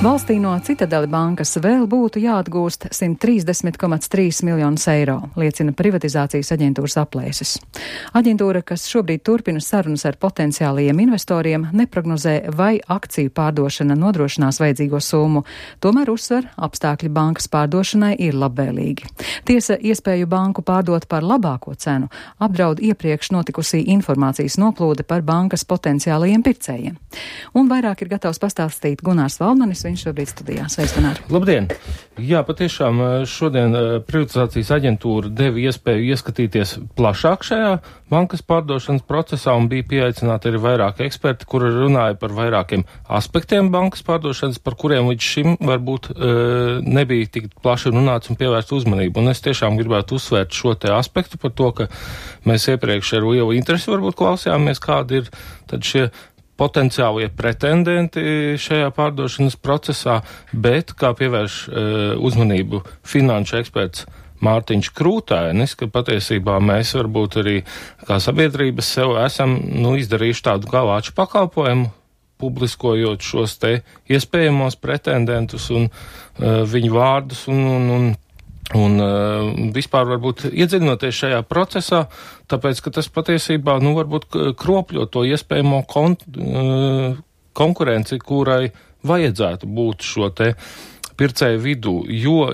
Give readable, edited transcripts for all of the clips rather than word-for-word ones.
Valstī no Citadele bankas vēl būtu jāatgūst 130,3 miljonus eiro, liecina privatizācijas aģentūras aplēses. Aģentūra, kas šobrīd turpina sarunas ar potenciālajiem investoriem, neprognozē, vai akciju pārdošana nodrošinās vajadzīgo summu, tomēr uzsver, apstākļi bankas pārdošanai ir labvēlīgi. Tiesa, iespēju banku pārdot par labāko cenu apdraud iepriekš notikusī informācijas noplūde par bankas potenciālajiem pircējiem. Un vairāk ir gatavs pastāstīt Gunārs Valdmanis, viņš šobrīd studijā. Sveiks, Gunār! Labdien! Jā, patiešām šodien privatizācijas aģentūra deva iespēju ieskatīties plašāk šajā bankas pārdošanas procesā un bija pieaicināti arī vairāki eksperti, kuri runāja par vairākiem aspektiem bankas pārdošanas, par kuriem līdz šim varbūt nebija tik plaši runāts un pievērst uzmanību. Un es tiešām gribētu uzsvērt šo te aspektu par to, ka mēs iepriekš ar lielu interesi varbūt klausījāmies, kādi ir tad šie potenciālie pretendenti šajā pārdošanas procesā, bet, kā pievērš uzmanību finanšu eksperts Mārtiņš Krūtainis, ka patiesībā mēs varbūt arī kā sabiedrības sev esam izdarījuši tādu kā lāču pakalpojumu, publiskojot šos te iespējamos pretendentus un viņu vārdus un vispār varbūt iedziļinoties šajā procesā, tāpēc, ka tas patiesībā, varbūt kropļo to iespējamo konkurenci, kurai vajadzētu būt šo te pircēju vidū, jo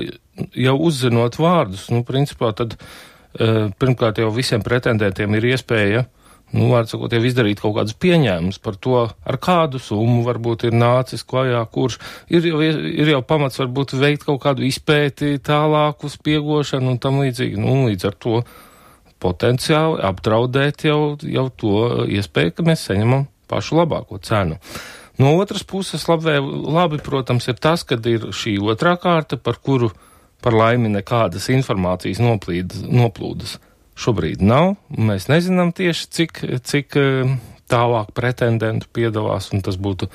jau uzzinot vārdus, principā tad pirmkārt jau visiem pretendentiem ir iespēja vārdsakot, jau izdarīt kaut kādus pieņēmumus par to, ar kādu summu varbūt ir nācis klajā, kurš ir jau pamats varbūt veikt kaut kādu izpēti tālāku spiegošanu un tam līdzīgi. Līdz ar to potenciāli apdraudēt jau to iespēju, ka mēs saņemam pašu labāko cenu. No otras puses labi, protams, ir tas, kad ir šī otrā kārta, par laimi nekādas informācijas noplūdes šobrīd nav. Mēs nezinām tieši, cik tālāk pretendentu piedalās, un tas būtu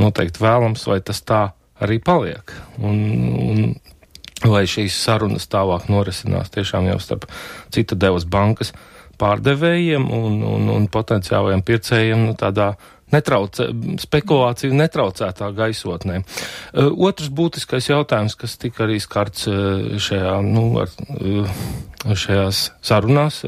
noteikti vēlams, vai tas tā arī paliek. Un lai šīs sarunas tālāk norisinās tiešām jau starp Citadeles bankas pārdevējiem un potenciālajiem pircējiem tādā spekulāciju netraucētā gaisotnē. Otrs būtiskais jautājums, kas tika arī skarts šajās sarunās,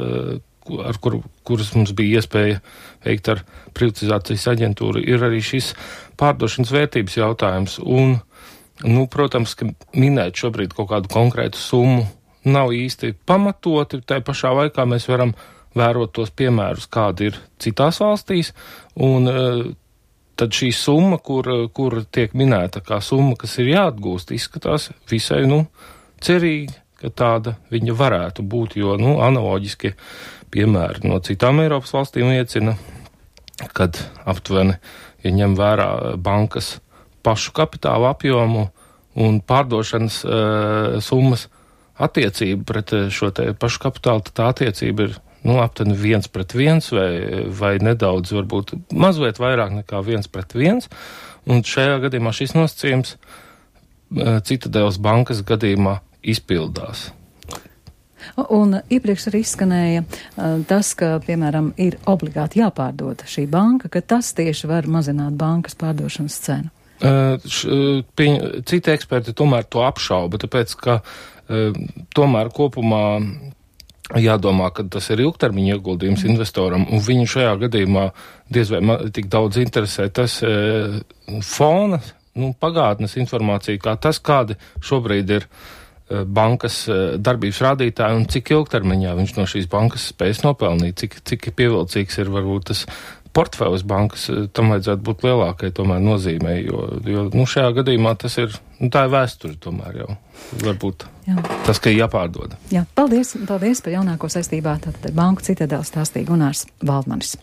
kuras mums bija iespēja veikt ar privatizācijas aģentūru, ir arī šis pārdošanas vērtības jautājums. Un, protams, ka minēt šobrīd kaut kādu konkrētu summu nav īsti pamatoti, tai pašā laikā mēs varam vērot tos piemērus, kādi ir citās valstīs, un tad šī summa, kur tiek minēta kā summa, kas ir jāatgūst, izskatās visai, cerīgi, ka tāda viņa varētu būt, jo, analoģiski piemēri no citām Eiropas valstīm liecina, kad aptuveni, ja ņem vērā bankas pašu kapitāla apjomu un pārdošanas summas attiecību pret šo te pašu kapitālu, tad tā attiecība ir aptuveni 1:1 vai nedaudz, varbūt mazliet vairāk nekā 1:1, un šajā gadījumā šis nosacījums Citadeles bankas gadījumā izpildās. Un iepriekš arī izskanēja tas, ka, piemēram, ir obligāti jāpārdod šī banka, ka tas tieši var mazināt bankas pārdošanas cenu. Citi eksperti tomēr to apšauba, tāpēc, ka tomēr kopumā jādomā, ka tas ir ilgtermiņa ieguldījums investoram, un viņu šajā gadījumā diez vai tik daudz interesē tas fona, pagātnes informācija, kā tas, kādi šobrīd ir bankas darbības rādītāji un cik ilgtermiņā viņš no šīs bankas spējas nopelnīt, cik pievilcīgs ir varbūt tas portfēlis bankas, tam vajadzētu būt lielākai tomēr nozīmē, jo šajā gadījumā tas ir, tā ir vēsture tomēr jau, varbūt tas, ka ir jāpārdod. Jā, paldies par jaunāko saistībā, tātad Banku Citadele stāstīja Gunārs Valdmanis.